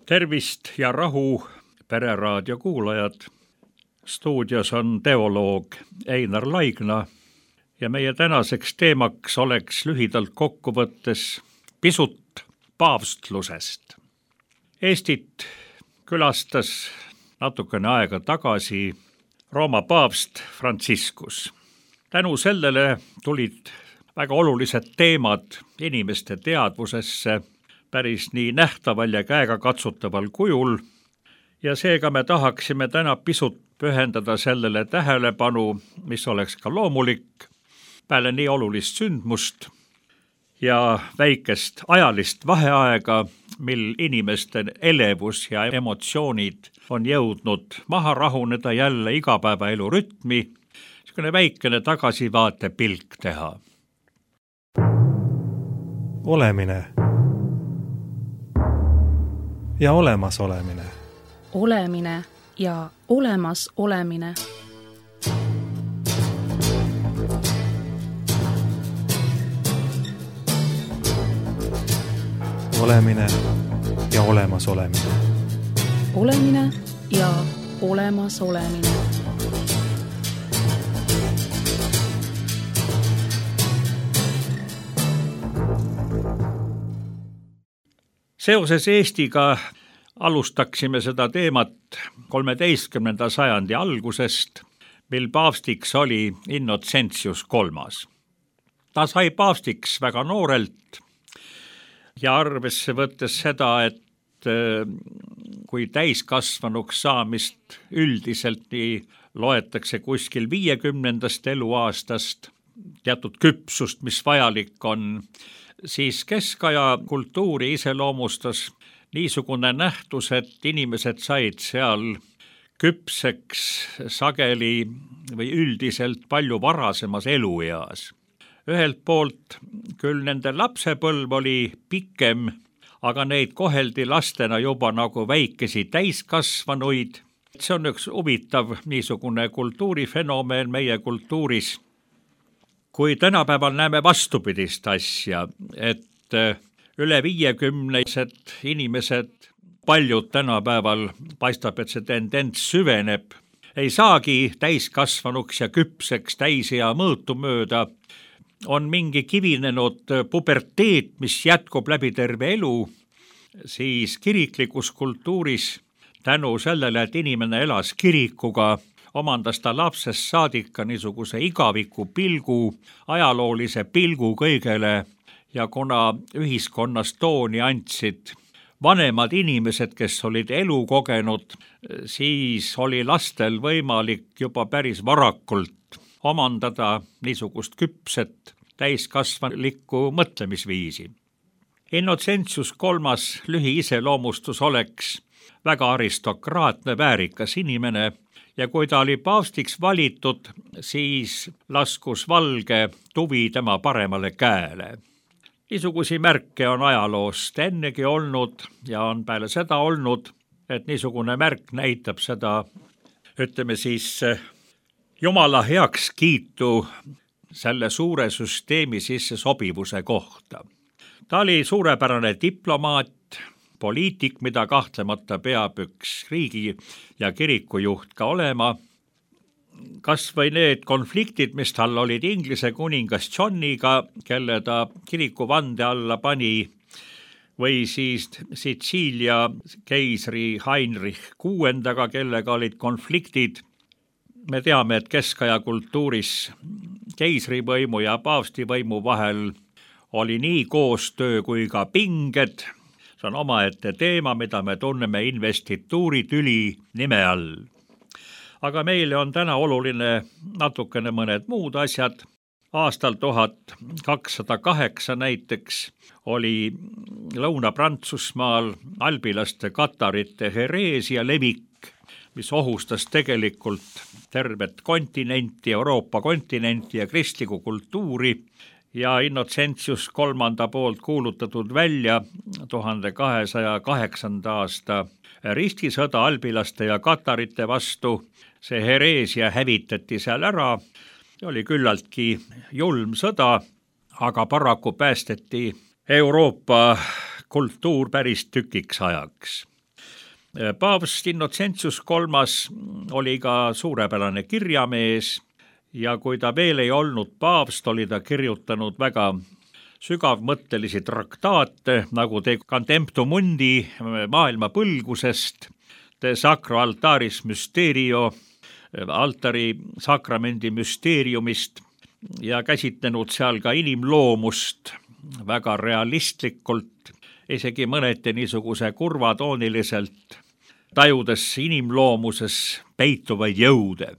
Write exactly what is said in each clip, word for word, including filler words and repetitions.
Tervist ja rahu, Pereraadio kuulajad. Stuudios on teoloog Einar Laigna ja meie tänaseks teemaks oleks lühidalt kokkuvõttes pisut paavstlusest. Eestit külastas natukene aega tagasi Rooma paavst Franciscus. Tänu sellele tulid väga olulised teemad inimeste teadvusesse päris nii nähtaval ja käega katsutaval kujul ja seega me tahaksime täna pisut pühendada sellele tähelepanu, mis oleks ka loomulik, peale nii olulist sündmust ja väikest ajalist vaheaega, mil inimeste elevus ja emotsioonid on jõudnud maha rahuneda jälle igapäevaelu rütmi, niisugune väikene tagasivaate pilk teha. Olemine ja olemas olemine. Olemine ja olemas olemine. Olemine ja olemas olemine. Olemine ja olemas olemine. Seoses Eestiga alustaksime seda teemat kolmeteistkümnenda sajandi algusest, mil paavstiks oli Innocentius kolmas. Ta sai paavstiks väga noorelt ja arvesse võttes seda, et kui täiskasvanuks saamist üldiselt nii loetakse kuskil viiekümnendast eluaastast, teatud küpsust, mis vajalik on, siis keskaja kultuuri iseloomustas niisugune nähtus, et inimesed said seal küpseks sageli või üldiselt palju varasemas elueas. Ühelt poolt küll nende lapsepõlv oli pikem, aga neid koheldi lastena juba nagu väikesi täiskasvanuid. See on üks huvitav niisugune kultuurifenomen meie kultuuris. Kui tänapäeval näeme vastupidist asja, et üle viiekümnesed inimesed, paljud tänapäeval paistab, et see tendents süveneb, ei saagi täiskasvanuks ja küpseks täisea mõõtu mööda, on mingi kivinenud puberteet, mis jätkub läbi terve elu, siis kiriklikus kultuuris tänu sellele, et inimene elas kirikuga, omandas ta lapsest saadika niisuguse igaviku pilgu, ajaloolise pilgu kõigele ja kuna ühiskonnas tooni andsid vanemad inimesed, kes olid elu kogenud, siis oli lastel võimalik juba päris varakult omandada niisugust küpset täiskasvanulikku mõtlemisviisi. Innocentius kolmas lühiiseloomustus oleks väga aristokraatne, väärikas inimene ja kui ta oli paavstiks valitud, siis laskus valge tuvi tema paremale käele. Niisugusi märke on ajaloost ennegi olnud ja on peale seda olnud, et niisugune märk näitab seda, ütleme siis, Jumala heakskiitu selle suure süsteemi sisse sobivuse kohta. Ta oli suurepärane diplomaat, poliitik, mida kahtlemata peab üks riigi ja kirikujuht ka olema. Kas või need konfliktid, mis tal olid Inglise kuningas Johniga, kelle ta kirikuvande alla pani, või siis Sitsiilia keisri Heinrich kuuendaga, kellega olid konfliktid. Me teame, et keskaja kultuuris keisrivõimu ja paavstivõimu vahel oli nii koostöö kui ka pinged. See on omaette teema, mida me tunneme investituuritüli nime all. Aga meile on täna oluline natukene mõned muud asjad. Aastal tuhat kakssada kaheksa näiteks oli Lõuna-Prantsusmaal albilaste katarite hereesia levik, mis ohustas tegelikult tervet kontinenti, Euroopa kontinenti ja kristlikku kultuuri ja Innocentius kolmanda poolt kuulutatud välja tuhande kahesaja kaheksanda aasta ristisõda albilaste ja katarite vastu. See hereesia hävitati seal ära, oli küllaltki julm sõda, aga paraku päästeti Euroopa kultuur päris tükiks ajaks. Paavst Innocentius kolmas oli ka suurepärane kirjamees ja kui ta veel ei olnud paavst, oli ta kirjutanud väga sügavmõttelisi traktaate, nagu De Contemptum Mundi maailma põlgusest, De Sacro Altaris Mysterio, altari sakramendi müsteeriumist ja käsitlenud seal ka inimloomust väga realistlikult, isegi mõneti niisuguse kurvatooniliselt, tajudes inimloomuses peituvaid jõude.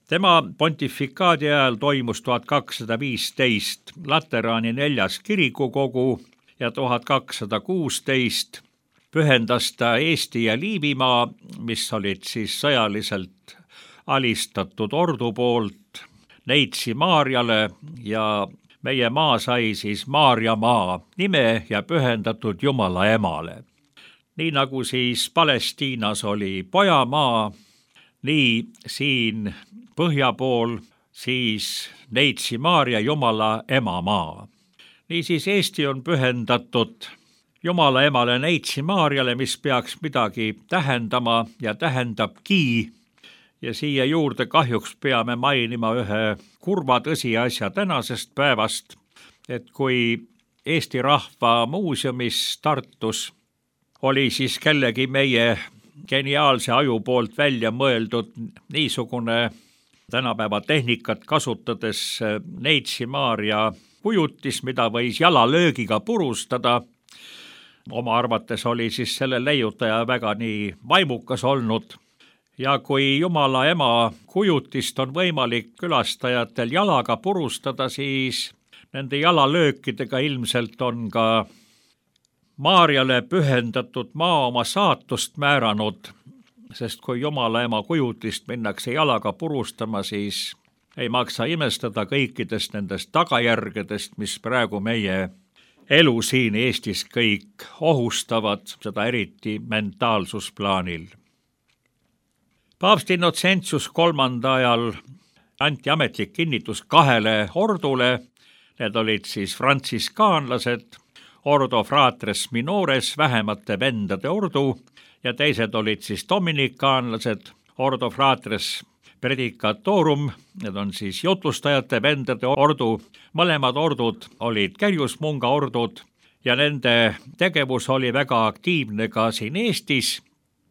Tema pontifikaadi ajal toimus tuhat kakssada viisteist Lateraani neljas kirikukogu ja tuhat kakssada kuusteist pühendas ta Eesti ja Liivimaa, mis olid siis sõjaliselt alistatud ordu poolt, Neitsi Maarjale ja meie maa sai siis Maarja maa nime ja pühendatud Jumala emale. Nii nagu siis Palestiinas oli Pojamaa, nii siin põhja pool siis Neitsi Maarja Jumala emamaa. Niisiis Eesti on pühendatud Jumala emale Neitsi Maarjale, mis peaks midagi tähendama ja tähendabki. Ja siia juurde kahjuks peame mainima ühe kurva tõsiasja tänasest päevast, et kui Eesti Rahva Muuseumis Tartus oli siis kellegi meie geniaalse aju poolt välja mõeldud niisugune tänapäeva tehnikat kasutades Neitsi Maarja kujutis, mida võis jalalöögiga purustada. Oma arvates oli siis selle leiutaja väga nii vaimukas olnud. Ja kui Jumala ema kujutist on võimalik külastajatel jalaga purustada, siis nende jalalöökidega ilmselt on ka Maarjale pühendatud maa oma saatust määranud, sest kui Jumala ema kujutist minnakse jalaga purustama, siis ei maksa imestada kõikidest nendest tagajärgedest, mis praegu meie elu siin Eestis kõik ohustavad, seda eriti mentaalsusplaanil. Paavst Innocentius kolmanda ajal anti ametlik kinnitus kahele ordule, need olid siis frantsiskaanlased, Ordo Fratres Minores, vähemate vendade ordu, ja teised olid siis dominikaanlased, Ordo Fratres Predicatorum, need on siis jutlustajate vendade ordu. Mõlemad ordud olid Käriusmunga ordud ja nende tegevus oli väga aktiivne ka siin Eestis,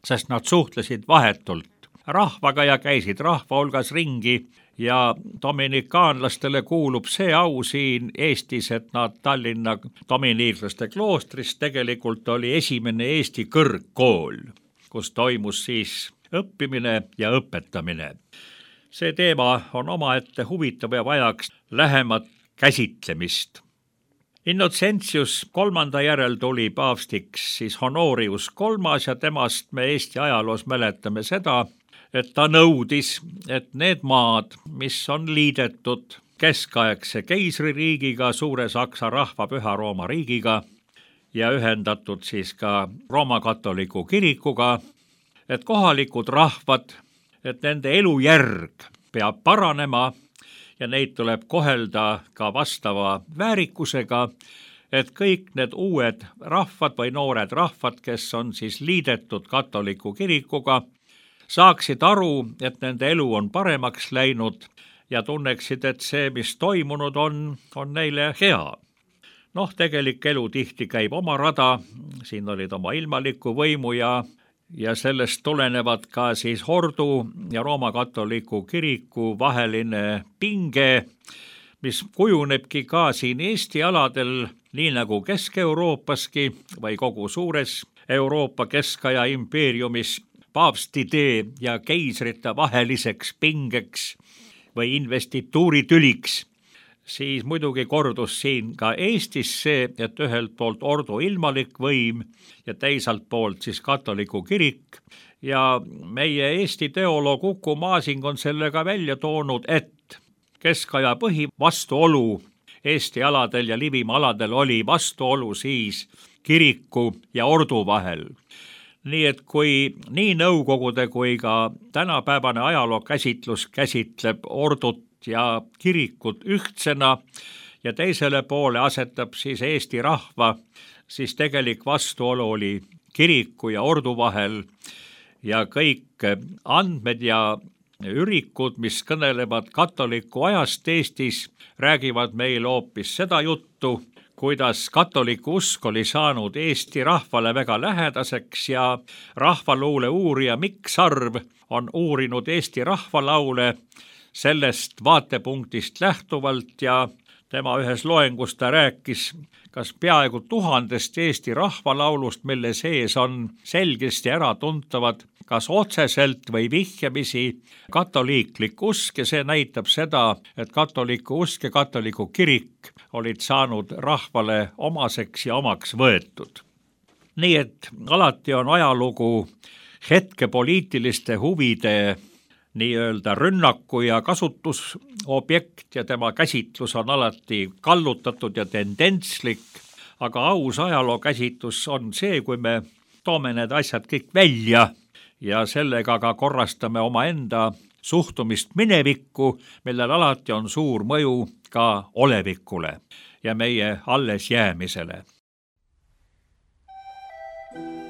sest nad suhtlesid vahetult rahvaga ja käisid rahva hulgas ringi ja dominikaanlastele kuulub see au siin Eestis, et nad Tallinna dominiiklaste kloostris tegelikult oli esimene Eesti kõrgkool, kus toimus siis õppimine ja õpetamine. See teema on omaette huvitav ja vajaks lähemat käsitlemist. Innocentius kolmanda järel tuli paavstiks siis Honorius kolmas ja temast me Eesti ajaloos mäletame seda, et ta nõudis, et need maad, mis on liidetud keskaegse keisririigiga, Suure Saksa rahva Püha Rooma riigiga ja ühendatud siis ka Rooma katoliku kirikuga, et kohalikud rahvad, et nende elujärg peab paranema ja neid tuleb kohelda ka vastava väärikusega, et kõik need uued rahvad või noored rahvad, kes on siis liidetud katoliku kirikuga, saaksid aru, et nende elu on paremaks läinud ja tunneksid, et see, mis toimunud on, on neile hea. Noh, tegelik elu tihti käib oma rada, siin olid oma ilmaliku võimu ja ja sellest tulenevad ka siis ordu ja Rooma katoliku kiriku vaheline pinge, mis kujunebki ka siin Eesti aladel, nii nagu Kesk-Euroopaski või kogu suures Euroopa keskaja impeeriumis paavstide ja keisrite vaheliseks pingeks või investituuritüliks. Siis muidugi kordus siin ka Eestis see, et ühelt poolt ordu ilmalik võim ja teisalt poolt siis katoliku kirik ja meie Eesti teoloog Uku Masing on sellega välja toonud, et keskaja põhi vastuolu Eesti aladel ja Liivimaa aladel oli vastuolu siis kiriku ja ordu vahel. Nii et kui nii nõukogude kui ka tänapäevane ajaloo käsitlus käsitleb ordut ja kirikut ühtsena ja teisele poole asetab siis Eesti rahva, siis tegelik vastuolu oli kiriku ja ordu vahel ja kõik andmed ja ürikud, mis kõnelevad katoliku ajast Eestis, räägivad meil hoopis seda juttu, kuidas katoliku usk oli saanud Eesti rahvale väga lähedaseks ja rahvaluule uurija Mikk Sarv on uurinud Eesti rahvalaule sellest vaatepunktist lähtuvalt ja tema ühes loengus ta rääkis kas peaaegu tuhandest Eesti rahvalaulust, mille sees on selgesti äratuntavad kas otseselt või vihjamisi katoliiklik usk ja see näitab seda, et katoliku usk ja katoliku kirik olid saanud rahvale omaseks ja omaks võetud. Nii et alati on ajalugu hetke poliitiliste huvide nii-öelda rünnaku ja kasutusobjekt ja tema käsitlus on alati kallutatud ja tendentslik, aga aus ajaloo käsitlus on see, kui me toome need asjad kõik välja ja sellega ka korrastame omaenda suhtumist minevikku, millel alati on suur mõju ka olevikule ja meie alles jäämisele. Yeah.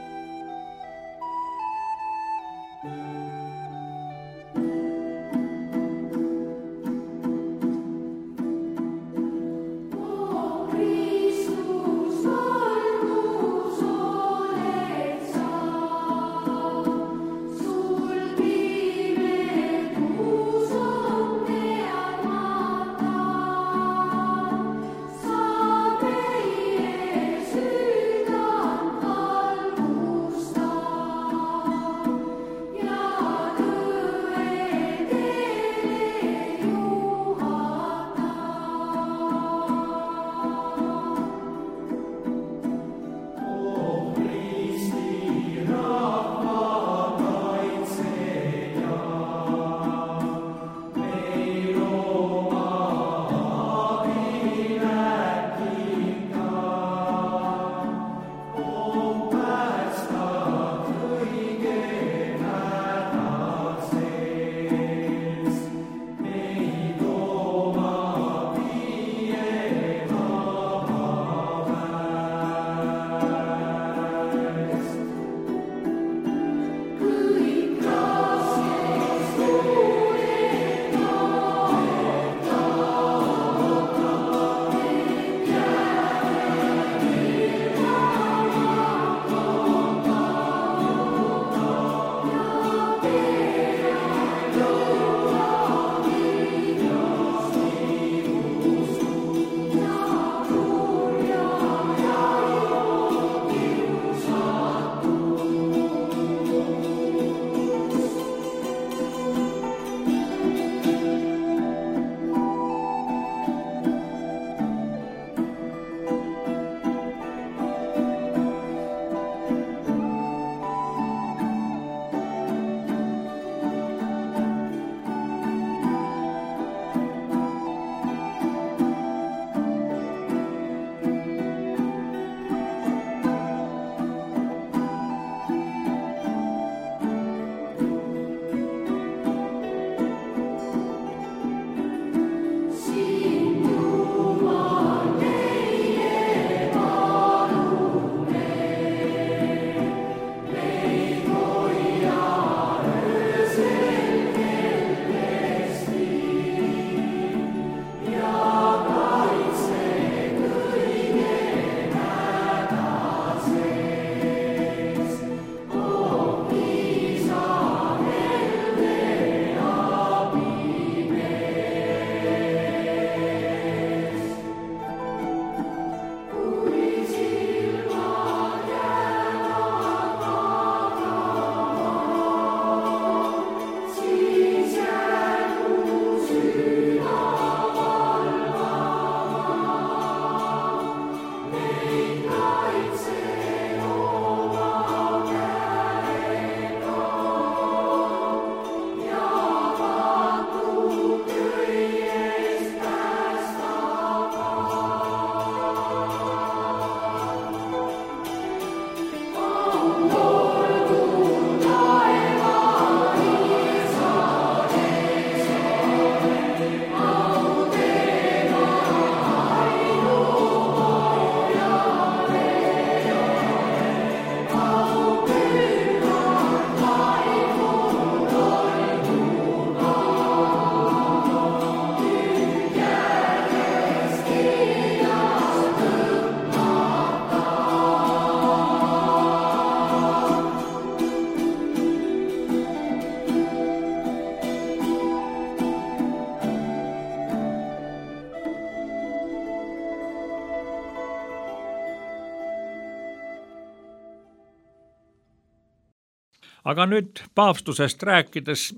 aga nüüd paavstusest rääkides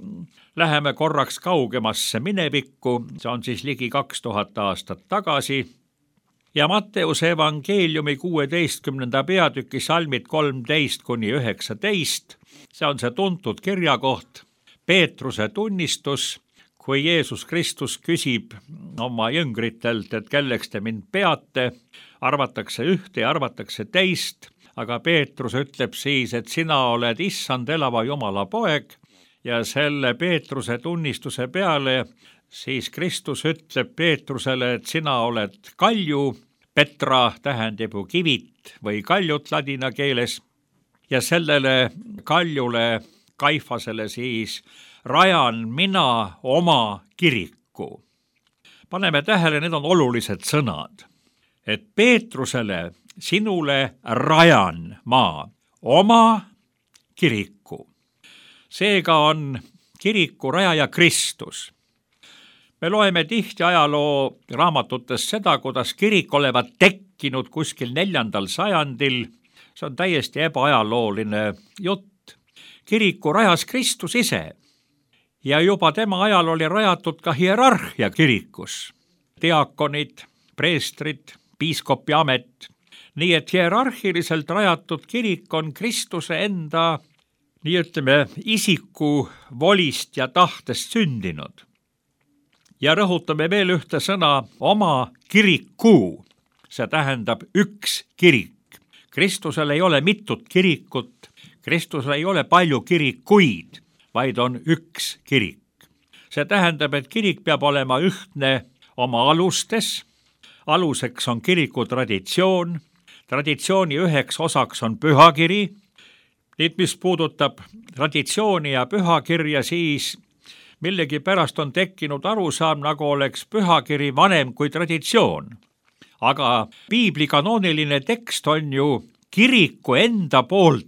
läheme korraks kaugemasse minevikku, see on siis ligi kaks tuhat aastat tagasi, ja Matteuse evangeeliumi kuueteistkümnenda peatüki salmid kolmteist kuni üheksateist, see on see tuntud kirjakoht, Peetruse tunnistus, kui Jeesus Kristus küsib oma jüngritelt, et kelleks te mind peate, arvatakse ühte ja arvatakse teist, aga Peetrus ütleb siis, et sina oled issand elava Jumala poeg, ja selle Peetruse tunnistuse peale siis Kristus ütleb Peetrusele, et sina oled kalju, Petra tähendab ju kivit või kaljut ladina keeles, ja sellele kaljule, Kaifasele siis rajan mina oma kiriku. Paneme tähele, need on olulised sõnad, et Peetrusele, sinule rajan ma oma kiriku. Seega on kiriku rajaja Kristus. Me loeme tihti ajaloo raamatutes seda, kuidas kirik olevat tekkinud kuskil neljandal sajandil. See on täiesti ebaajalooline jutt. Kiriku rajas Kristus ise ja juba tema ajal oli rajatud ka hierarhia kirikus. Diakonid, preestrid, piiskopi amet. Nii et hierarhiliselt rajatud kirik on Kristuse enda, nii ütleme, isiku volist ja tahtest sündinud. Ja rõhutame veel ühte sõna, oma kiriku. See tähendab üks kirik. Kristusel ei ole mitut kirikut, Kristusel ei ole palju kirikuid, vaid on üks kirik. See tähendab, et kirik peab olema ühtne oma alustes. Aluseks on kiriku traditsioon. Traditsiooni üheks osaks on pühakiri. Nüüd, mis puudutab traditsiooni ja pühakirja, siis millegi pärast on tekkinud arusaam, nagu oleks pühakiri vanem kui traditsioon. Aga piibli kanooniline tekst on ju kiriku enda poolt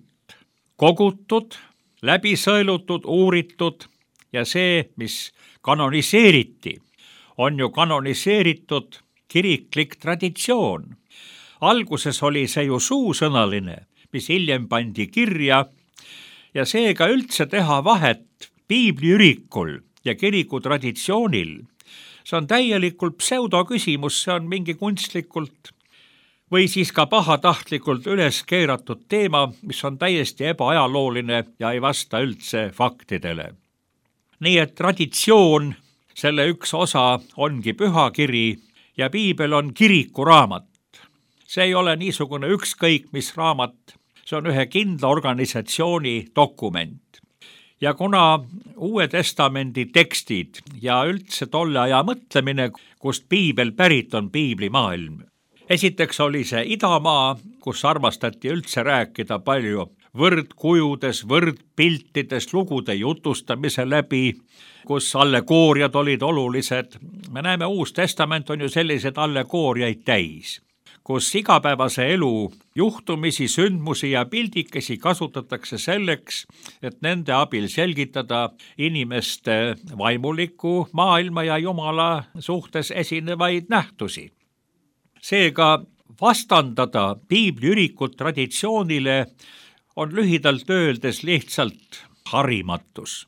kogutud, läbi sõelutud, uuritud ja see, mis kanoniseeriti, on ju kanoniseeritud kiriklik traditsioon. Alguses oli see ju suusõnaline, mis hiljem pandi kirja ja seega üldse teha vahet piibliürikul ja kiriku traditsioonil. See on täielikult pseudoküsimus, see on mingi kunstlikult või siis ka pahatahtlikult üles keeratud teema, mis on täiesti ebaajalooline ja ei vasta üldse faktidele. Nii et traditsioon, selle üks osa ongi pühakiri ja piibel on kirikuraamat. See ei ole niisugune ükskõik mis raamat, see on ühe kindla organisatsiooni dokument. Ja kuna Uue Testamendi tekstid ja üldse tolle aja mõtlemine, kust piibel pärit on piiblimaailm. Esiteks oli see idamaa, kus armastati üldse rääkida palju võrdkujudes, võrdpiltides, lugude jutustamise läbi, kus allegooriad olid olulised. Me näeme, Uus Testament on ju sellised allegooriaid täis, kus igapäevase elu juhtumisi, sündmusi ja pildikesi kasutatakse selleks, et nende abil selgitada inimeste vaimuliku maailma ja Jumala suhtes esinevaid nähtusi. Seega vastandada piibliürikut traditsioonile on lühidalt öeldes lihtsalt harimatus.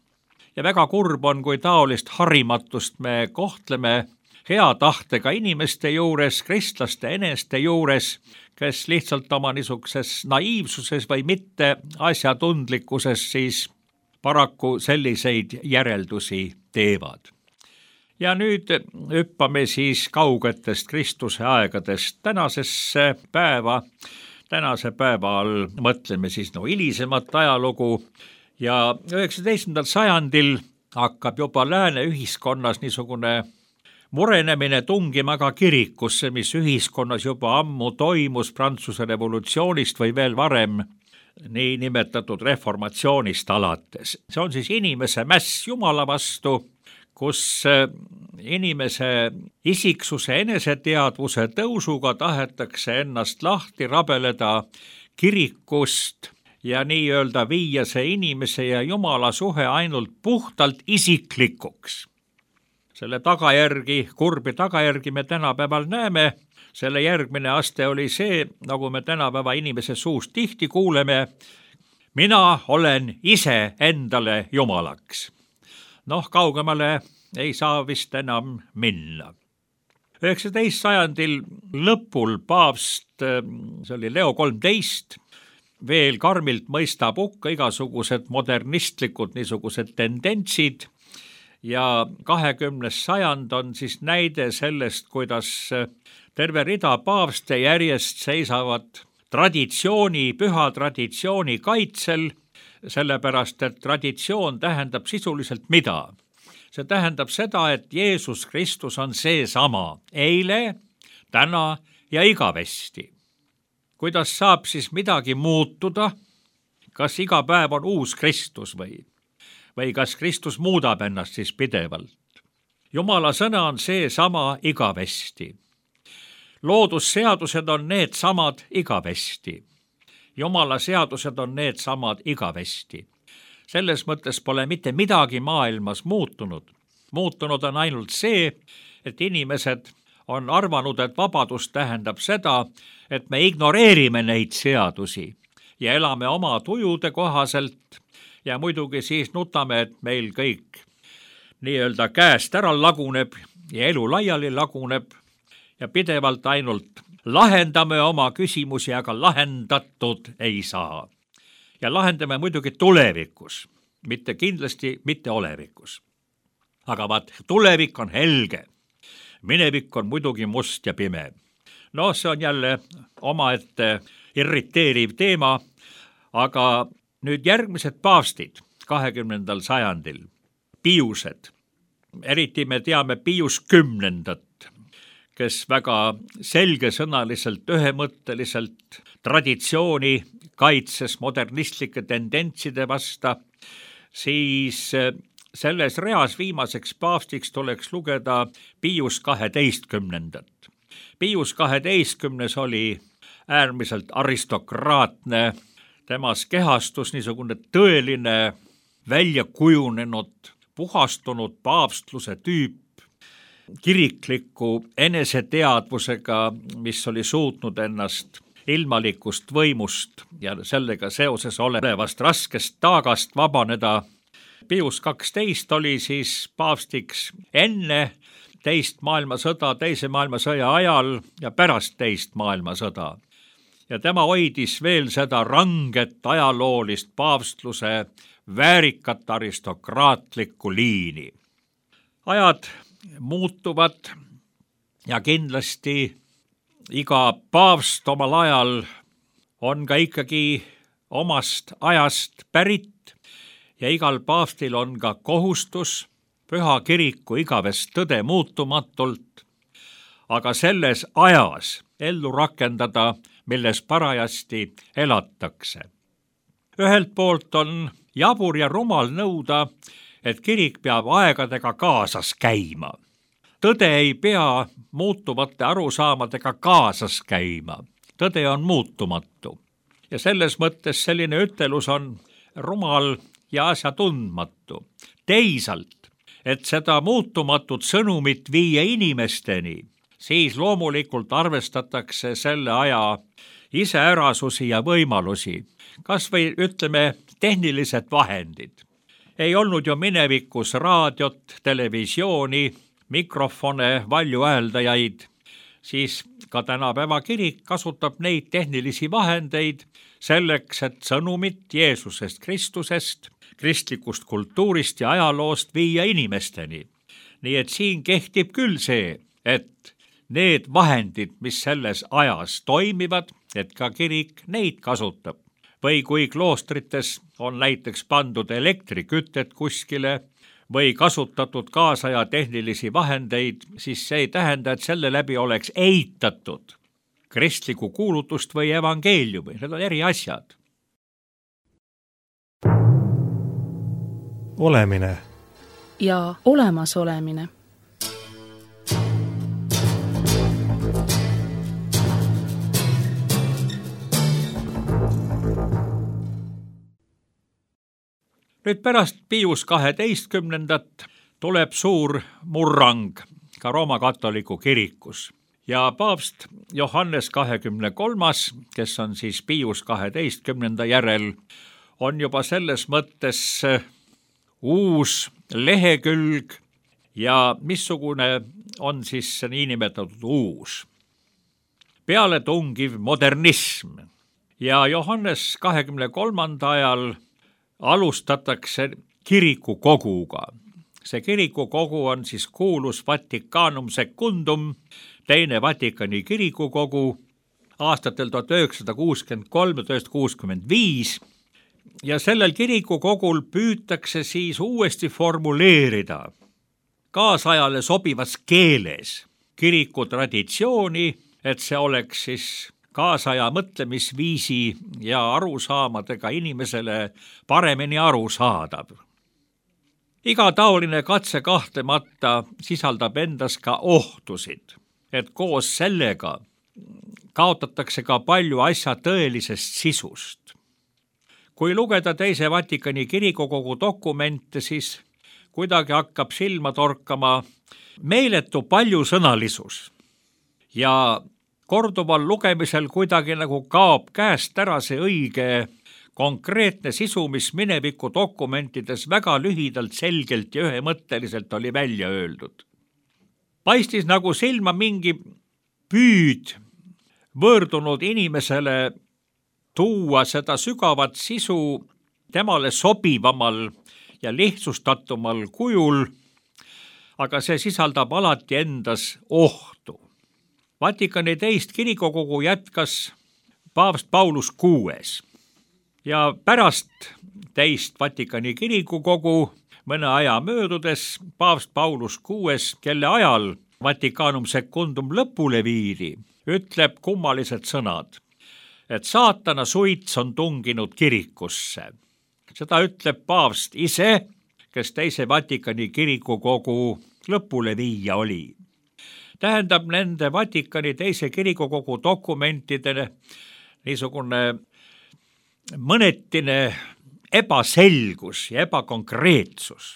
Ja väga kurb on, kui taolist harimatust me kohtleme hea tahtega inimeste juures, kristlaste eneste juures, kes lihtsalt oma niisuguses naiivsuses või mitte asjatundlikkuses siis paraku selliseid järeldusi teevad. Ja nüüd hüppame siis kaugetest Kristuse aegadest tänasesse päeva. Tänase päeva all mõtleme siis no hilisemat ajalugu ja üheksateistkümnendal sajandil hakkab juba lääne ühiskonnas niisugune murenemine tungima ka kirikusse, mis ühiskonnas juba ammu toimus Prantsuse revolutsioonist või veel varem nii nimetatud reformatsioonist alates. See on siis inimese mäss Jumala vastu, kus inimese isiksuse eneseteadvuse tõusuga tahetakse ennast lahti rabeleda kirikust ja nii-öelda viia see inimese ja Jumala suhe ainult puhtalt isiklikuks. Selle tagajärgi, kurbi tagajärgi me tänapäeval näeme. Selle järgmine aste oli see, nagu me tänapäeva inimese suust tihti kuuleme, mina olen ise endale jumalaks. Noh, kaugemale ei saa vist enam minna. üheksateist sajandil lõpul paavst, see oli Leo kolmteist, veel karmilt mõistab hukka igasugused modernistlikud niisugused tendentsid ja kahekümnes sajand on siis näide sellest, kuidas terve rida paavste järjest seisavad traditsiooni, püha traditsiooni kaitsel, sellepärast et traditsioon tähendab sisuliselt mida? See tähendab seda, et Jeesus Kristus on seesama eile, täna ja igavesti. Kuidas saab siis midagi muutuda? Kas iga päev on uus Kristus või? Või kas Kristus muudab ennast siis pidevalt? Jumala sõna on seesama igavesti. Loodusseadused on need samad igavesti. Jumala seadused on need samad igavesti. Selles mõttes pole mitte midagi maailmas muutunud. Muutunud on ainult see, et inimesed on arvanud, et vabadus tähendab seda, et me ignoreerime neid seadusi ja elame oma tujude kohaselt ja muidugi siis nutame, et meil kõik nii-öelda käest ära laguneb ja elu laiali laguneb ja pidevalt ainult lahendame oma küsimusi, aga lahendatud ei saa. Ja lahendame muidugi tulevikus, mitte kindlasti mitte olevikus. Aga vaat, tulevik on helge. Minevik on muidugi must ja pime. No see on jälle omaette irriteeriv teema, aga nüüd järgmised paavstid kahekümnendal sajandil, Piused, eriti me teame Pius kümnendat, kes väga selgesõnaliselt, ühemõtteliselt traditsiooni kaitses modernistlike tendentside vasta, siis selles reas viimaseks paavstiks tuleks lugeda Pius kaheteistkümnendat. Pius kaheteistkümnes oli äärmiselt aristokraatne, temas kehastus niisugune tõeline, välja kujunenud, puhastunud paavstluse tüüp, kirikliku eneseteadvusega, mis oli suutnud ennast ilmalikust võimust ja sellega seoses olevast raskest taagast vabaneda. Pius kaksteist oli siis paavstiks enne teist maailmasõda, teise maailmasõja ajal ja pärast teist maailmasõda. Ja tema hoidis veel seda ranget ajaloolist paavstluse väärikat aristokraatlikku liini. Ajad muutuvad ja kindlasti iga paavst omal ajal on ka ikkagi omast ajast pärit ja igal paavstil on ka kohustus püha kiriku igavest tõde muutumatult, aga selles ajas ellu rakendada, milles parajasti elatakse. Ühelt poolt on jabur ja rumal nõuda, et kirik peab aegadega kaasas käima. Tõde ei pea muutuvate arusaamadega kaasas käima. Tõde on muutumatu. Ja selles mõttes selline ütelus on rumal ja asjatundmatu. Teisalt, et seda muutumatut sõnumit viia inimesteni, siis loomulikult arvestatakse selle aja iseärasusi ja võimalusi, kas või ütleme tehnilised vahendid. Ei olnud ju minevikus raadiot, televisiooni, mikrofone, valjuhääldajaid, siis ka tänapäeva kirik kasutab neid tehnilisi vahendeid selleks, et sõnumit Jeesusest Kristusest, kristlikust kultuurist ja ajaloost viia inimesteni. Nii et siin kehtib küll see, et need vahendid, mis selles ajas toimivad, et ka kirik neid kasutab. Või kui kloostrites on näiteks pandud elektrikütet kuskile või kasutatud kaasaja tehnilisi vahendeid, siis see ei tähenda, et selle läbi oleks eitatud kristlikku kuulutust või evangeeliumi. Need on eri asjad. Olemine ja olemasolemine. Nüüd pärast Pius kaheteistkümnendat tuleb suur murrang ka Rooma katoliku kirikus ja paavst Johannes kahekümne kolmas, kes on siis Pius kaheteistkümnenda järel, on juba selles mõttes uus lehekülg ja missugune on siis see niinimetatud uus pealetungiv modernism. Ja Johannes kahekümne kolmanda ajal alustatakse kirikukoguga. See kirikukogu on siis kuulus Vaticanum Secundum, teine Vatikani kirikukogu aastatel tuhat üheksasada kuuskümmend kolm ja tuhat üheksasada kuuskümmend viis ja sellel kirikukogul püütakse siis uuesti formuleerida kaasajale sobivas keeles kiriku traditsiooni, et see oleks siis kaasaja mõtlemisviisi ja arusaamadega inimesele paremini arusaadav. Iga taoline katse kahtlemata sisaldab endas ka ohtusid, et koos sellega kaotatakse ka palju asja tõelisest sisust. Kui lugeda teise Vatikani kirikukogu dokumente, siis kuidagi hakkab silma torkama meeletu paljusõnalisus ja korduval lugemisel kuidagi nagu kaob käest ära see õige konkreetne sisu, mis mineviku dokumentides väga lühidalt, selgelt ja ühemõtteliselt oli välja öeldud. Paistis nagu silma mingi püüd võõrdunud inimesele tuua seda sügavat sisu temale sobivamal ja lihtsustatumal kujul, aga see sisaldab alati endas ohtu. Vatikani teist kirikukogu jätkas paavst Paulus kuues ja pärast teist Vatikani kirikukogu mõne aja möödudes paavst Paulus kuues, kelle ajal Vaticanum Secundum lõpule viidi, ütleb kummalised sõnad, et saatana suits on tunginud kirikusse. Seda ütleb paavst ise, kes teise Vatikani kirikukogu lõpule viia oli. Tähendab, nende Vatikani teise kirikukogu dokumentide niisugune mõnetine ebaselgus ja ebakonkreetsus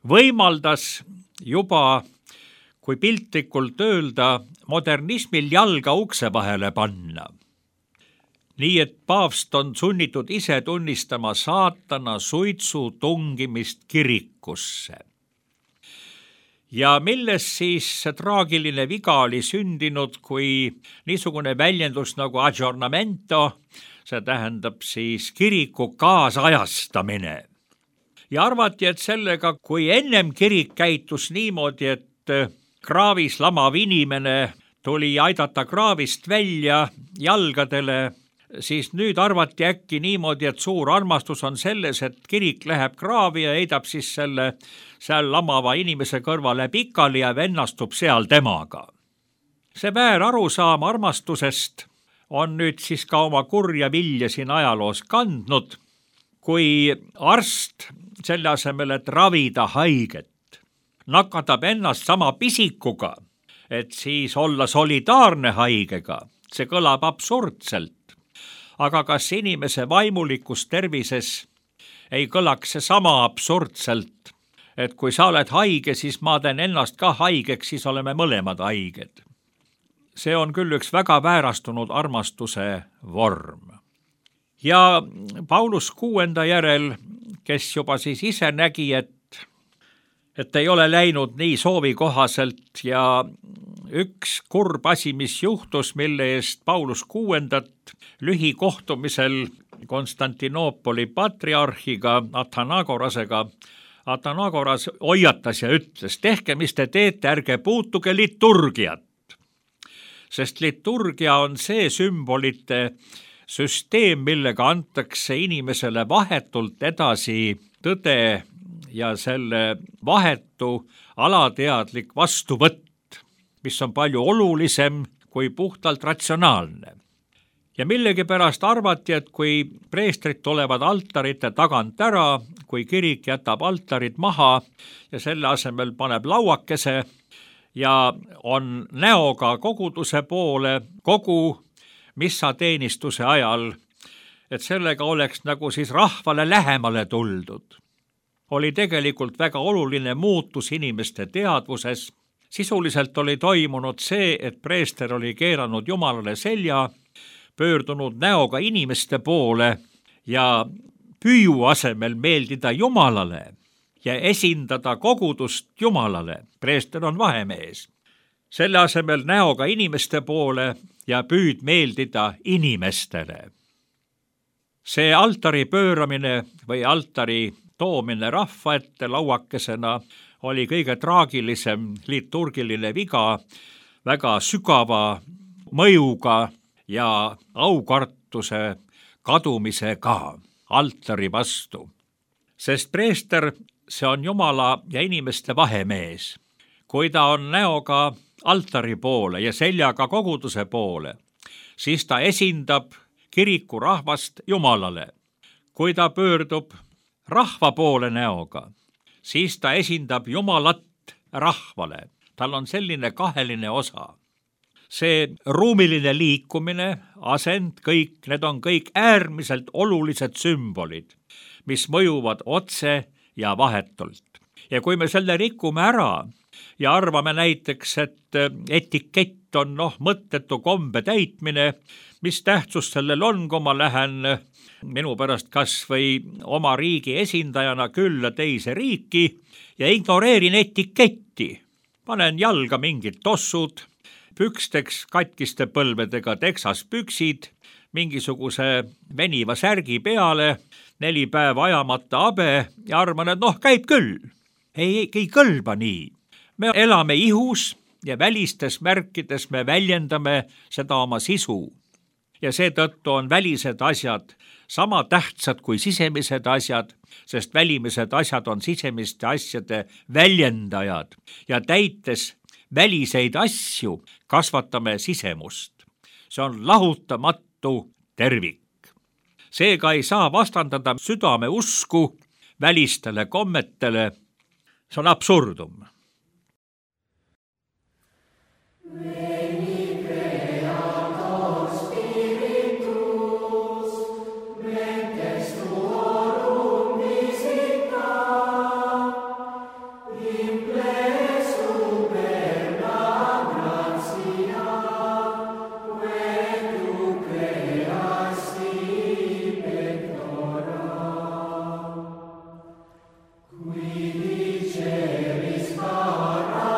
võimaldas juba, kui piltlikult öelda, modernismil jalga ukse vahele panna. Nii et paavst on sunnitud ise tunnistama saatana suitsu tungimist kirikusse. Ja milles siis see traagiline viga oli sündinud, kui niisugune väljendus nagu aggiornamento, see tähendab siis kiriku kaasajastamine. Ja arvati, et sellega, kui ennem kirik käitus niimoodi, et kraavis lamav inimene tuli aidata kraavist välja jalgadele, siis nüüd arvati äkki niimoodi, et suur armastus on selles, et kirik läheb kraavi ja heidab siis selle seal lamava inimese kõrvale pikali ja vennastub seal temaga. See väär arusaam armastusest on nüüd siis ka oma kurja vilja siin ajaloos kandnud, kui arst selle asemel, et ravida haiget, nakatab ennast sama pisikuga, et siis olla solidaarne haigega. See kõlab absurdselt. Aga kas inimese vaimulikus tervises ei kõlaks see sama absurdselt, et kui sa oled haige, siis ma teen ennast ka haigeks, siis oleme mõlemad haiged. See on küll üks väga väärastunud armastuse vorm. Ja Paulus kuuenda järel, kes juba siis ise nägi, et, et ei ole läinud nii soovi kohaselt ja üks kurb asi, mis juhtus, mille eest Paulus kuuendat lühikohtumisel Konstantinoopoli patriarhiga Athanagorasega, Athanagoras hoiatas ja ütles, tehke, mis te teete, ärge puutuge liturgiat. Sest liturgia on see sümbolite süsteem, millega antakse inimesele vahetult edasi tõde ja selle vahetu alateadlik vastuvõtt, mis on palju olulisem kui puhtalt ratsionaalne. Ja millegipärast arvati, et kui preestrid tulevad altarite tagant ära, kui kirik jätab altarid maha ja selle asemel paneb lauakese ja on näoga koguduse poole kogu missateenistuse ajal, et sellega oleks nagu siis rahvale lähemale tuldud. Oli tegelikult väga oluline muutus inimeste teadvuses. Sisuliselt oli toimunud see, et preester oli keeranud Jumalale selja, pöördunud näoga inimeste poole ja püüu asemel meeldida Jumalale ja esindada kogudust Jumalale. Preester on vahemees. Selle asemel näoga inimeste poole ja püüd meeldida inimestele. See altari pööramine või altari toomine rahva ette lauakesena oli kõige traagilisem liturgiline viga, väga sügava mõjuga ja aukartuse kadumisega altari vastu. Sest preester, see on Jumala ja inimeste vahemees. Kui ta on näoga altari poole ja seljaga koguduse poole, siis ta esindab kiriku rahvast Jumalale. Kui ta pöördub rahva poole näoga, siis ta esindab Jumalat rahvale. Tal on selline kaheline osa. See ruumiline liikumine, asend, kõik, need on kõik äärmiselt olulised sümbolid, mis mõjuvad otse ja vahetult. Ja kui me selle rikume ära ja arvame näiteks, et etikett on noh, mõttetu kombe täitmine, mis tähtsus sellel on, kui ma lähen minu pärast kas või oma riigi esindajana külla teise riiki ja ignoreerin etiketti. Panen jalga mingid tossud, püksteks katkiste põlvedega teksaspüksid, mingisuguse veniva särgi peale, neli päeva ajamata abe ja arvan, et noh, käib küll. Ei, ei kõlba nii. Me elame ihus ja välistes märkides me väljendame seda oma sisu. Ja seetõttu on välised asjad sama tähtsad kui sisemised asjad, sest välimised asjad on sisemiste asjade väljendajad ja täites väliseid asju kasvatame sisemust. See on lahutamatu tervik. Seega ei saa vastandada südame usku välistele kommetele. See on absurdum. Qui diceris paracletus,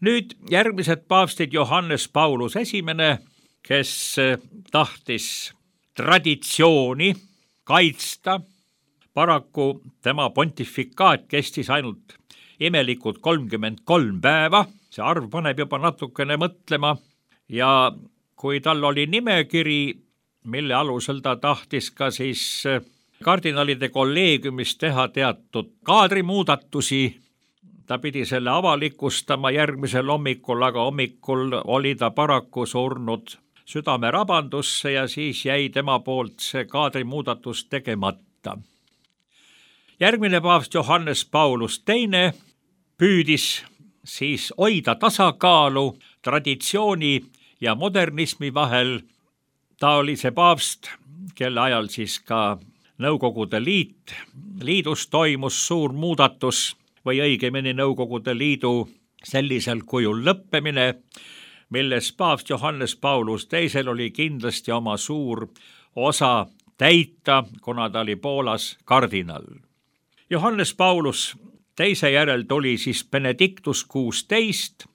Nüüd järgmised paavstid Johannes Paulus esimene, kes tahtis traditsiooni kaitsta. Paraku tema pontifikaat kestis ainult imelikud kolmkümmend kolm päeva, see arv paneb juba natukene mõtlema ja kui tal oli nimekiri, mille alusel ta tahtis ka siis kardinalide kolleegiumis teha teatud kaadrimuudatusi, ta pidi selle avalikustama järgmisel hommikul, aga hommikul oli ta paraku surnud südamerabandusse ja siis jäi tema poolt see kaadrimuudatus tegemata. Järgmine paavst Johannes Paulus teine püüdis siis hoida tasakaalu traditsiooni ja modernismi vahel. Ta oli see paavst, kelle ajal siis ka Nõukogude Liit, liidus toimus suur muudatus või õigemini Nõukogude Liidu sellisel kujul lõppemine, milles paavst Johannes Paulus teisel oli kindlasti oma suur osa täita, kuna ta oli Poolas kardinal. Johannes Paulus teise järel tuli siis Benedictus kuusteist.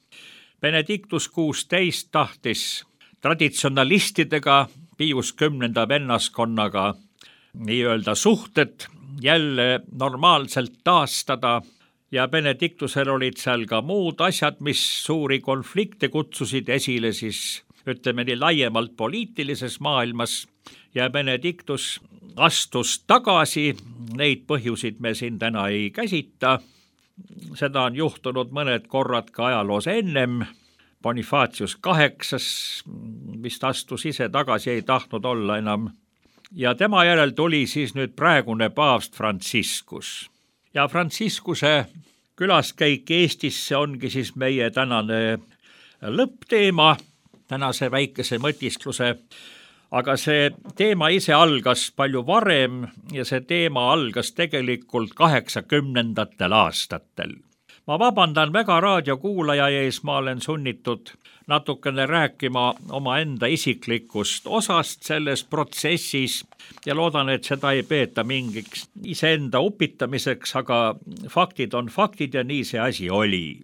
Benedictus kuusteist tahtis traditsionalistidega, Pius kümnenda vennaskonnaga nii-öelda suhted jälle normaalselt taastada ja Benedictusel olid seal ka muud asjad, mis suuri konflikte kutsusid esile siis, ütleme nii laiemalt poliitilises maailmas ja Benedictus astus tagasi, neid põhjusid me siin täna ei käsita. Seda on juhtunud mõned korrad ka ajaloos ennem. Bonifatius kaheksas vist astus ise tagasi, ei tahtnud olla enam. Ja tema järel tuli siis nüüd praegune paavst Franciscus. Ja Franciscuse külaskäik Eestisse ongi siis meie tänane lõppteema, tänase väikese mõtiskluse. Aga see teema ise algas palju varem ja see teema algas tegelikult kaheksakümnendatel aastatel. Ma vabandan väga raadiokuulaja ees, ma olen sunnitud natukene rääkima oma enda isiklikust osast selles protsessis ja loodan, et seda ei peeta mingiks iseenda upitamiseks, aga faktid on faktid ja nii see asi oli.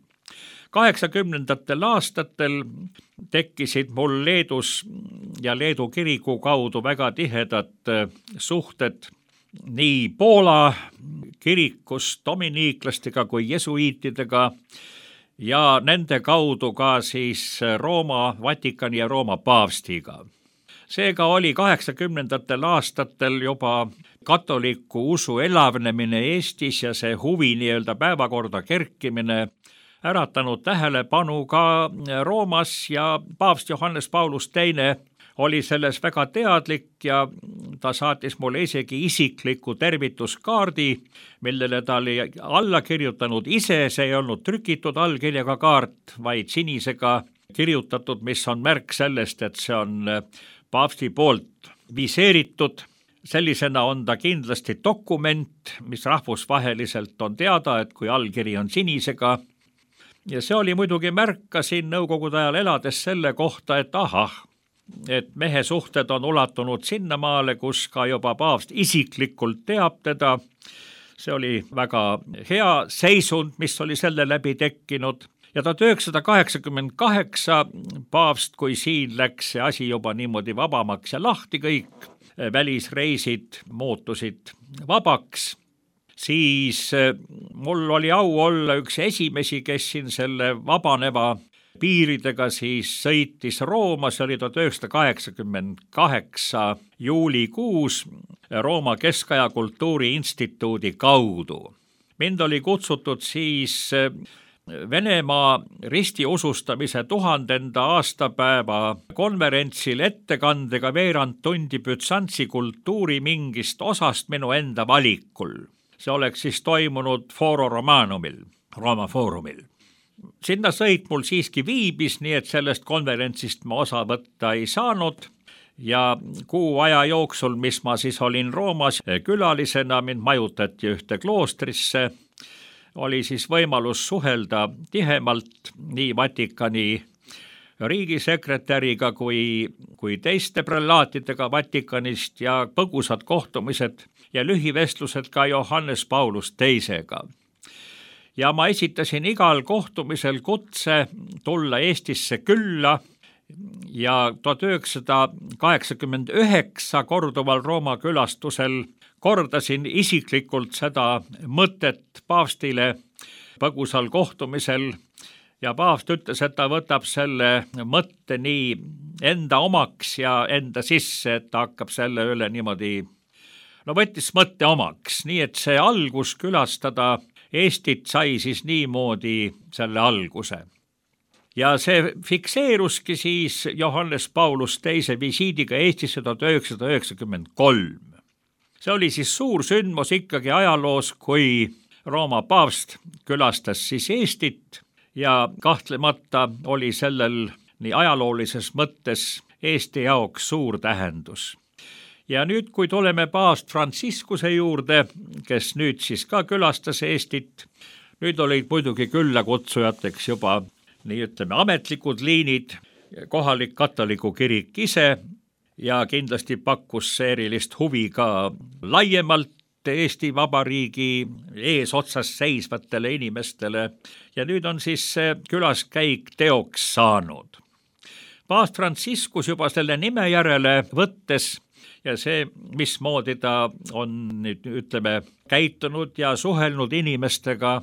kaheksakümnendatel aastatel tekkisid mul Leedus ja Leedu kiriku kaudu väga tihedad suhted nii Poola kirikus dominiiklastega kui jesuiitidega ja nende kaudu ka siis Rooma, Vatikani ja Rooma paavstiga. Seega oli kaheksakümnendatel aastatel juba katoliku usu elavnemine Eestis ja see huvi nii-öelda päevakorda kerkimine äratanud tähelepanu ka Roomas ja paavst Johannes Paulus teine oli selles väga teadlik ja ta saatis mulle isegi isikliku tervituskaardi, millele ta oli alla kirjutanud ise, see ei olnud trükitud allkirjaga kaart, vaid sinisega kirjutatud, mis on märk sellest, et see on paavsti poolt viseeritud. Sellisena on ta kindlasti dokument, mis rahvusvaheliselt on teada, et kui allkiri on sinisega. Ja see oli muidugi märka siin Nõukogude ajal elades selle kohta, et ahah, et mehe suhted on ulatunud sinnamaale, kus ka juba paavst isiklikult teab teda. See oli väga hea seisund, mis oli selle läbi tekkinud. Ja tuhat üheksasada kaheksakümmend kaheksa paavst, kui siin läks see asi juba niimoodi vabamaks ja lahti kõik, välisreisid muutusid vabaks, siis mul oli au olla üks esimesi, kes siin selle vabaneva piiridega siis sõitis Rooma, see oli tuhat üheksasada kaheksakümmend kaheksa juulikuus Rooma Keskaja Kultuuriinstituudi kaudu. Mind oli kutsutud siis Venemaa ristiusustamise tuhandenda aastapäeva konverentsil ettekandega veerand tundi Bütsantsi kultuuri mingist osast minu enda valikul. See oleks siis toimunud Foro Romanumil, Rooma Foorumil. Sinna sõit mul siiski viibis, nii et sellest konverentsist ma osa võtta ei saanud ja kuu aja jooksul, mis ma siis olin Roomas külalisena, mind majutati ühte kloostrisse, oli siis võimalus suhelda tihemalt nii Vatikani riigisekretäriga kui, kui teiste prelaatidega Vatikanist ja põgusad kohtumised ja lühivestlused ka Johannes Paulus teisega. ja ma esitasin igal kohtumisel kutse tulla Eestisse külla ja tuhat üheksasada kaheksakümmend üheksa korduval Rooma külastusel kordasin isiklikult seda mõtet paavstile põgusal kohtumisel ja paavst ütles, et ta võtab selle mõtte nii enda omaks ja enda sisse, et ta hakkab selle üle niimoodi, no võttis mõtte omaks, nii et see algus külastada Eestit sai siis niimoodi selle alguse. Ja see fikseeruski siis Johannes Paulus teise visiidiga Eestisse tuhat üheksasada üheksakümmend kolm. See oli siis suur sündmus ikkagi ajaloos, kui Rooma paavst külastas siis Eestit ja kahtlemata oli sellel nii ajaloolises mõttes Eesti jaoks suur tähendus. Ja nüüd, kui tuleme paavst Franciscuse juurde, kes nüüd siis ka külastas Eestit, nüüd olid muidugi küllakutsujateks juba nii ütleme ametlikud liinid, kohalik katoliku kirik ise ja kindlasti pakkus see erilist huvi ka laiemalt Eesti Vabariigi eesotsas seisvatele inimestele ja nüüd on siis see külaskäik teoks saanud. Paavst Franciscus juba selle nime järele võttes ja see, mismoodi ta on nüüd ütleme käitunud ja suhelnud inimestega,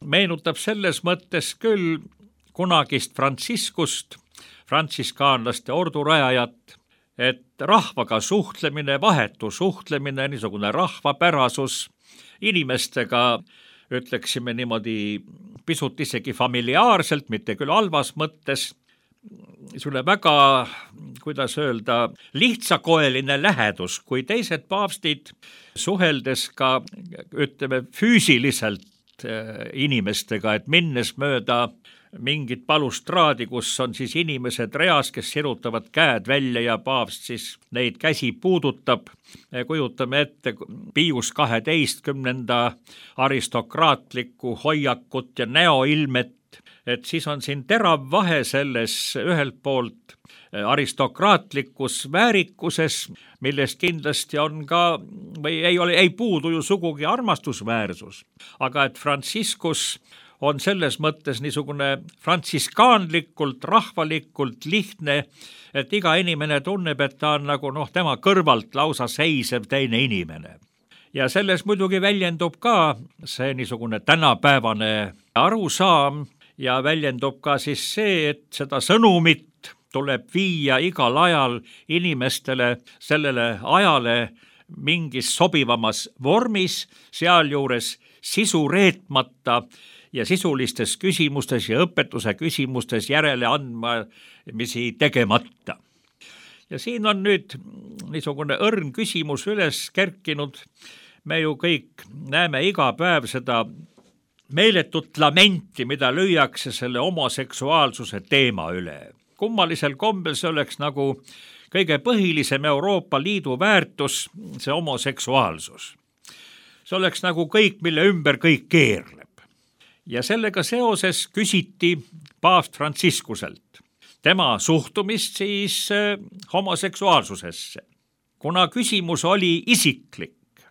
meenutab selles mõttes küll kunagist Franciscust, frantsiskaanlaste ordurajajat, et rahvaga suhtlemine, vahetu suhtlemine, niisugune rahvapärasus, inimestega ütleksime niimoodi pisut isegi familiaarselt, mitte küll halvas mõttes, sulle väga, kuidas öelda, lihtsakoeline lähedus, kui teised paavstid suheldes ka, ütleme, füüsiliselt inimestega, et minnes mööda mingit balustraadi, kus on siis inimesed reas, kes sirutavad käed välja ja paavst siis neid käsi puudutab. Kujutame ette Pius kaheteistkümnenda aristokraatlikku hoiakut ja näoilmet, et siis on siin terav vahe selles ühelt poolt aristokraatlikus väärikuses, millest kindlasti on ka, või ei ole, ei puudu ju sugugi armastusväärsus, aga et Franciscus on selles mõttes niisugune frantsiskaanlikult, rahvalikult lihtne, et iga inimene tunneb, et ta on nagu noh, tema kõrvalt lausa seisev teine inimene. Ja selles muidugi väljendub ka see niisugune tänapäevane arusaam ja väljendub ka siis see, et seda sõnumit tuleb viia igal ajal inimestele sellele ajale mingis sobivamas vormis, sealjuures sisu reetmata ja sisulistes küsimustes ja õpetuse küsimustes järele andmisi tegemata. Ja siin on nüüd niisugune õrn küsimus üles kerkinud. Me ju kõik näeme iga päev seda meeletut lamenti, mida lüüakse selle homoseksuaalsuse teema üle. Kummalisel kombel see oleks nagu kõige põhilisem Euroopa Liidu väärtus, see homoseksuaalsus. See oleks nagu kõik, mille ümber kõik keerleb. Ja sellega seoses küsiti paavst Franciscuselt tema suhtumist siis homoseksuaalsusesse. Kuna küsimus oli isiklik,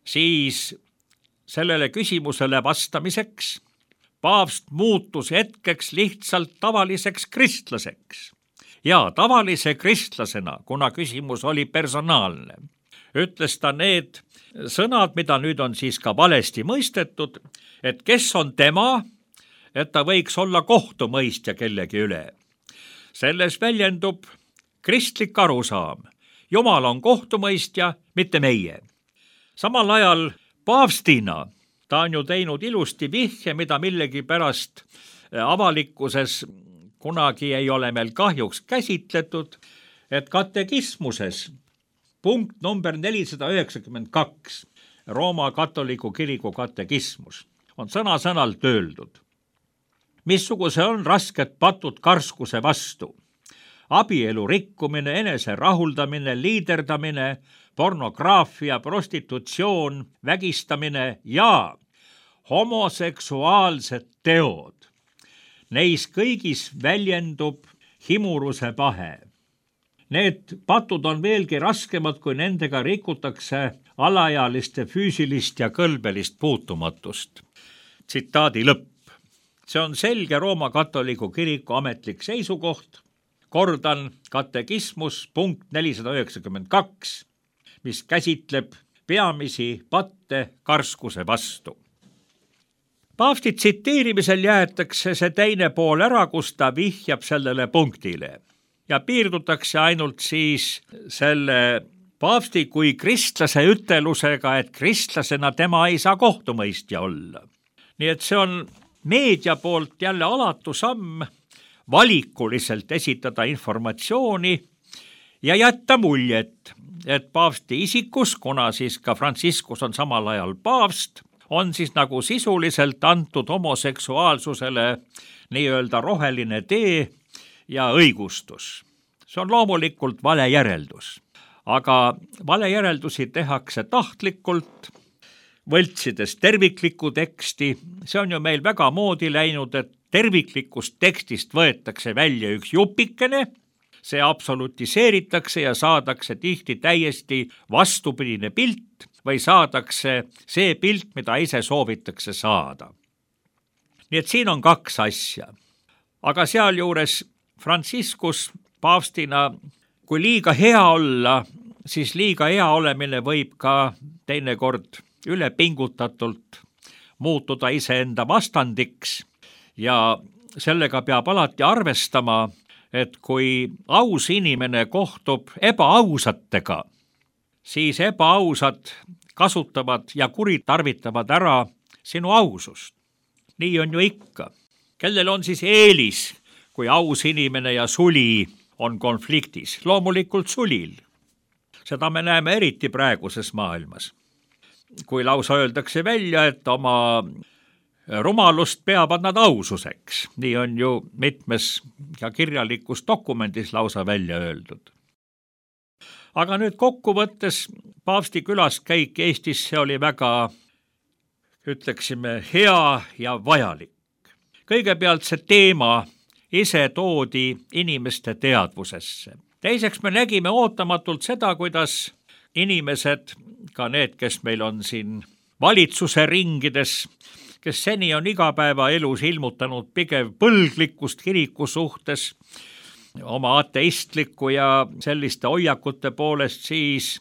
siis sellele küsimusele vastamiseks paavst muutus hetkeks lihtsalt tavaliseks kristlaseks. Ja tavalise kristlasena, kuna küsimus oli personaalne, ütles ta need sõnad, mida nüüd on siis ka valesti mõistetud, et kes on tema, et ta võiks olla kohtumõistja kellegi üle. Selles väljendub kristlik arusaam. Jumal on kohtumõistja, mitte meie. Samal ajal paavstina ta on ju teinud ilusti vihje, mida millegi pärast avalikkuses kunagi ei ole meil kahjuks käsitletud, et katekismuses punkt number nelisada üheksakümmend kaks, Rooma katoliku kiriku katekismus, on sõna-sõnalt öeldud. Missuguse on rasked patud karskuse vastu? Abielu rikkumine, enese rahuldamine, liiderdamine, pornograafia, prostitutsioon, vägistamine ja homoseksuaalsed teod. Neis kõigis väljendub himuruse pahe. Need patud on veelgi raskemad, kui nendega rikutakse alaealiste füüsilist ja kõlbelist puutumatust. tsitaadi lõpp. See on selge Rooma katoliku kiriku ametlik seisukoht, kordan katekismus punkt nelisada üheksakümmend kaks, mis käsitleb peamisi patte karskuse vastu. Paavsti tsiteerimisel jäetakse see teine pool ära, kus ta vihjab sellele punktile ja piirdutakse ainult siis selle paavsti kui kristlase ütelusega, et kristlasena tema ei saa kohtumõistja olla. Nii et see on meedia poolt jälle alatu samm valikuliselt esitada informatsiooni ja jätta muljet, et paavsti isikus, kuna siis ka Franciscus on samal ajal paavst, on siis nagu sisuliselt antud homoseksuaalsusele nii-öelda roheline tee ja õigustus. See on loomulikult vale järeldus, aga vale järeldusi tehakse tahtlikult, võltsides terviklikku teksti. See on ju meil väga moodi läinud, et terviklikust tekstist võetakse välja üks jupikene, see absolutiseeritakse ja saadakse tihti täiesti vastupidine pilt või saadakse see pilt, mida ise soovitakse saada. Nii et siin on kaks asja. Aga sealjuures Franciscus paavstina, kui liiga hea olla, siis liiga hea olemine võib ka teinekord ülepingutatult muutuda iseenda vastandiks ja sellega peab alati arvestama, et kui aus inimene kohtub ebaausatega, siis ebaausad kasutavad ja kuritarvitavad ära sinu ausust. Nii on ju ikka. Kellel on siis eelis, kui aus inimene ja suli on konfliktis? Loomulikult sulil. Seda me näeme eriti praeguses maailmas. Kui lausa öeldakse välja, et oma rumalust peavad nad aususeks. Nii on ju mitmes ja kirjalikus dokumendis lausa välja öeldud. Aga nüüd kokkuvõttes paavsti külaskäik Eestisse oli väga, ütleksime, hea ja vajalik. Kõigepealt see teema ise toodi inimeste teadvusesse. Teiseks me nägime ootamatult seda, kuidas inimesed, ka need, kes meil on siin valitsuse ringides, kes seni on igapäevaelus ilmutanud pigem põlglikkust kiriku suhtes, oma ateistliku ja selliste hoiakute poolest, siis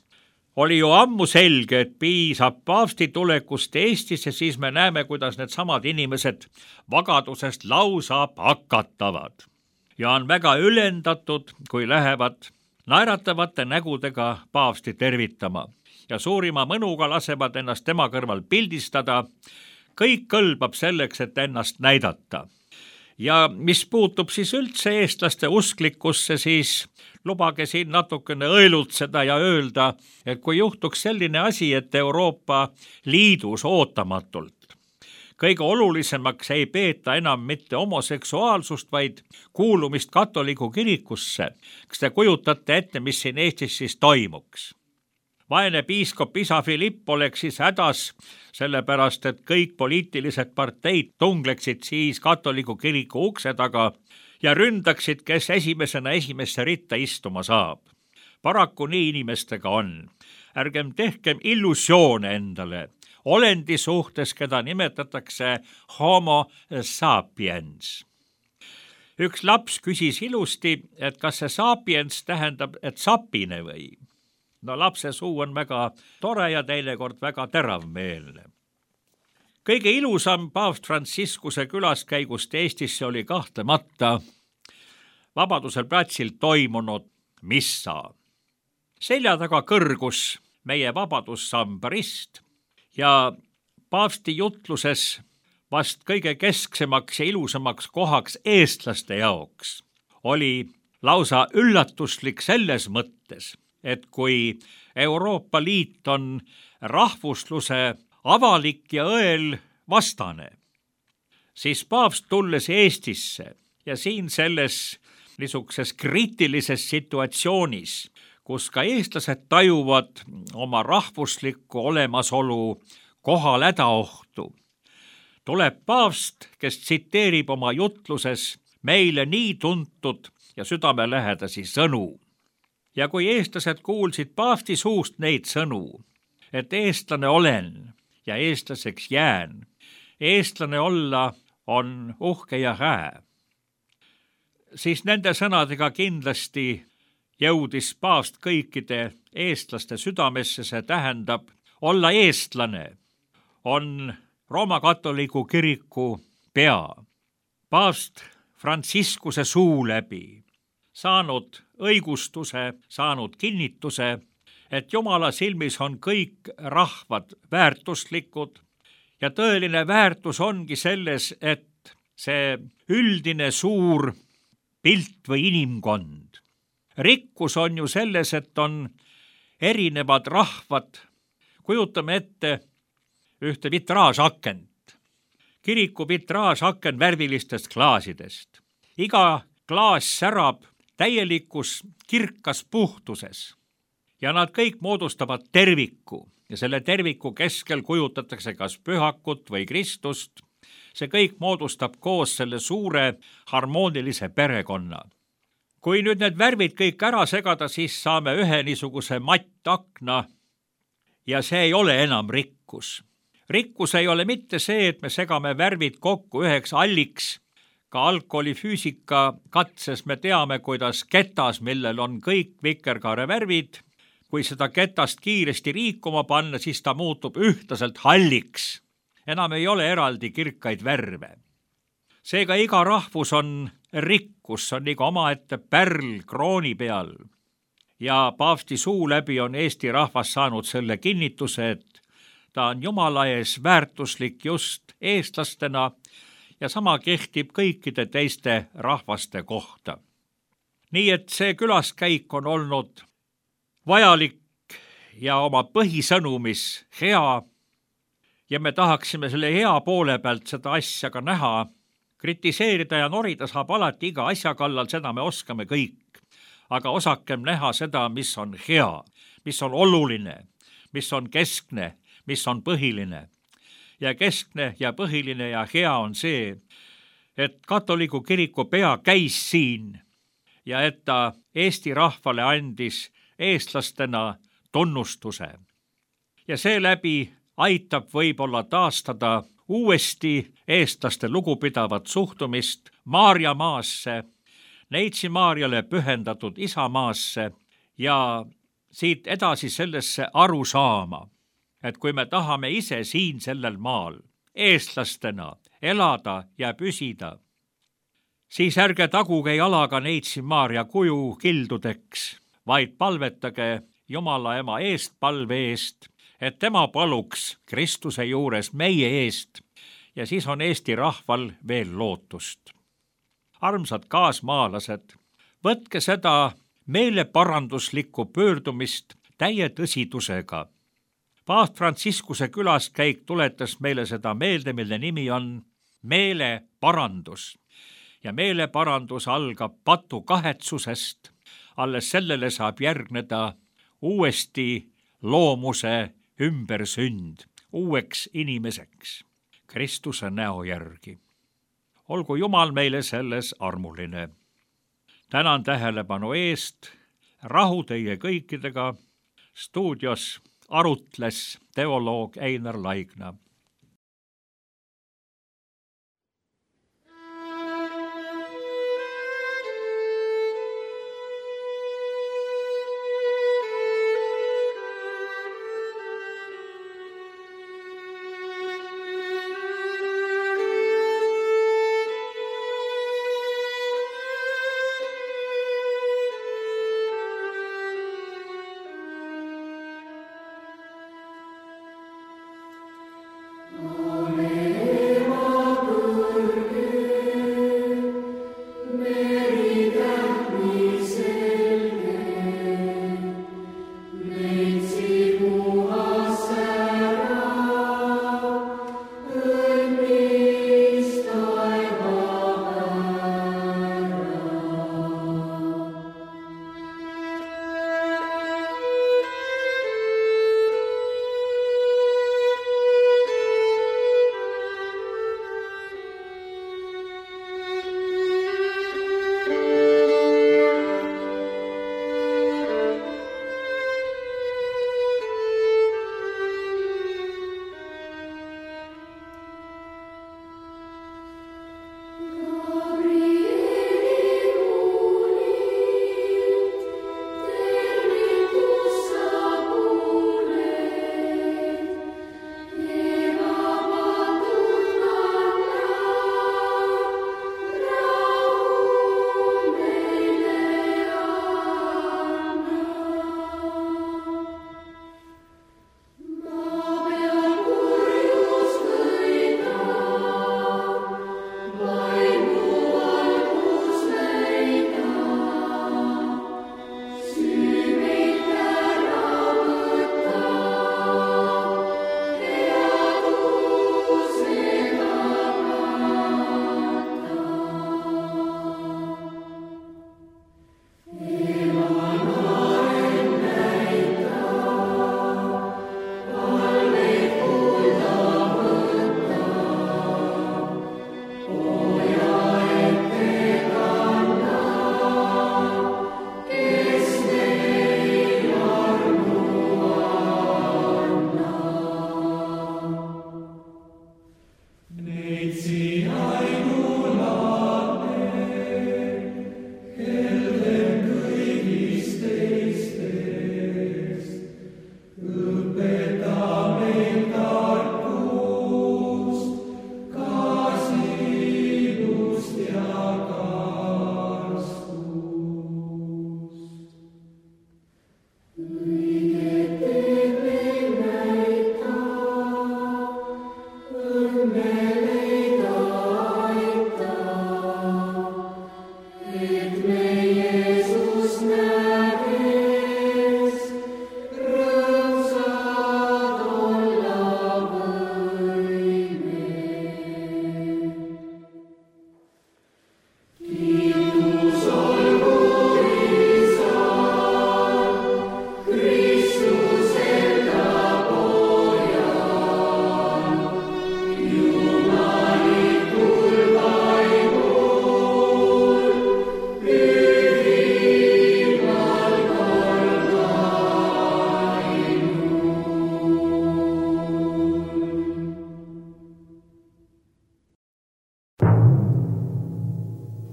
oli ju ammu selge, et piisab paavsti tulekust Eestisse, siis me näeme, kuidas need samad inimesed vagadusest lausa pakatavad. Ja on väga ülendatud, kui lähevad naeratavate nägudega paavsti tervitama ja suurima mõnuga lasevad ennast tema kõrval pildistada. Kõik kõlbab selleks, et ennast näidata. Ja mis puutub siis üldse eestlaste usklikkusse, siis lubage siin natukene õelutseda ja öelda, et kui juhtuks selline asi, et Euroopa Liidus ootamatult kõige olulisemaks ei peeta enam mitte homoseksuaalsust, vaid kuulumist katoliku kirikusse, kas te kujutate ette, mis siin Eestis siis toimuks? Vaene piiskop isa Filipp oleks siis hädas, sellepärast et kõik poliitilised parteid tungleksid siis katoliku kiriku ukse taga ja ründaksid, kes esimesena esimesse ritta istuma saab. Paraku nii inimestega on. Ärgem tehkem illusioone endale. Olendi suhtes, keda nimetatakse homo sapiens. Üks laps küsis ilusti, et kas see sapiens tähendab, et sapine või? No lapse suu on väga tore ja teinekord väga teravmeelne. Kõige ilusam paavst Franciscuse külaskäigust Eestisse oli kahtlemata Vabaduse platsil toimunud missa. Selja taga kõrgus meie vabadussamba rist ja paavsti jutluses vast kõige kesksemaks ja ilusamaks kohaks eestlaste jaoks oli lausa üllatuslik selles mõttes, et kui Euroopa Liit on rahvusluse avalik ja õel vastane, siis paavst tulles Eestisse ja siin selles niisuguses kriitilises situatsioonis, kus ka eestlased tajuvad oma rahvuslikku olemasolu kohal hädaohtu, tuleb paavst, kes tsiteerib oma jutluses meile nii tuntud ja südamelähedasi sõnu. Ja kui eestlased kuulsid paavsti suust neid sõnu, et eestlane olen ja eestlaseks jään, eestlane olla on uhke ja hää. Siis nende sõnadega kindlasti jõudis paavst kõikide eestlaste südamesse, see tähendab, olla eestlane on Rooma katoliku kiriku pea. Paavst Franciscuse suu läbi saanud õigustuse, saanud kinnituse, et Jumala silmis on kõik rahvad väärtuslikud ja tõeline väärtus ongi selles, et see üldine suur pilt või inimkond. Rikkus on ju selles, et on erinevad rahvad. Kujutame ette ühte vitraažakent. Kiriku vitraažaken värvilistest klaasidest. Iga klaas särab täielikus kirkas puhtuses ja nad kõik moodustavad terviku ja selle terviku keskel kujutatakse kas pühakut või Kristust. See kõik moodustab koos selle suure harmoonilise perekonna. Kui nüüd need värvid kõik ära segada, siis saame ühe niisuguse mattakna ja see ei ole enam rikkus. Rikkus ei ole mitte see, et me segame värvid kokku üheks alliks. Ka alkoholifüüsika katses me teame, kuidas ketas, millel on kõik vikerkaare värvid, kui seda ketast kiiresti liikuma panna, siis ta muutub ühtlaselt halliks. Enam ei ole eraldi kirkaid värve. Seega iga rahvus on rikkus, on iga omaette pärl krooni peal. Ja paavsti suu läbi on Eesti rahvas saanud selle kinnituse, et ta on Jumala ees väärtuslik just eestlastena ja sama kehtib kõikide teiste rahvaste kohta. Nii et see külaskäik on olnud vajalik ja oma põhisõnumis hea ja me tahaksime selle hea poole pealt seda asja ka näha. Kritiseerida ja norida saab alati iga asja kallal, seda me oskame kõik. Aga osakem näha seda, mis on hea, mis on oluline, mis on keskne, mis on põhiline. Ja keskne ja põhiline ja hea on see, et katoliku kiriku pea käis siin ja et ta Eesti rahvale andis eestlastena tunnustuse. Ja seeläbi aitab võib-olla taastada uuesti eestlaste lugupidavat suhtumist Maarja maasse, Neitsi Maarjale pühendatud isamaasse ja siit edasi sellesse aru saama, et kui me tahame ise siin sellel maal eestlastena elada ja püsida, siis ärge taguge jalaga Neitsi Maarja kuju kildudeks, vaid palvetage Jumala ema eest palve eest, et tema paluks Kristuse juures meie eest ja siis on Eesti rahval veel lootust. Armsad kaasmaalased, võtke seda meeleparanduslikku pöördumist täie tõsidusega. Paavst Franciscuse külaskäik tuletas meile seda meelde, mille nimi on meeleparandus. Ja meeleparandus algab patu kahetsusest, alles sellele saab järgneda uuesti loomuse ümbersünd, uueks inimeseks, Kristuse näo järgi. Olgu Jumal meile selles armuline. Tänan tähelepanu eest, rahu teie kõikidega, stuudios arutles teoloog Einar Laigna.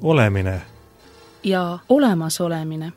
olemine ja olemasolemine.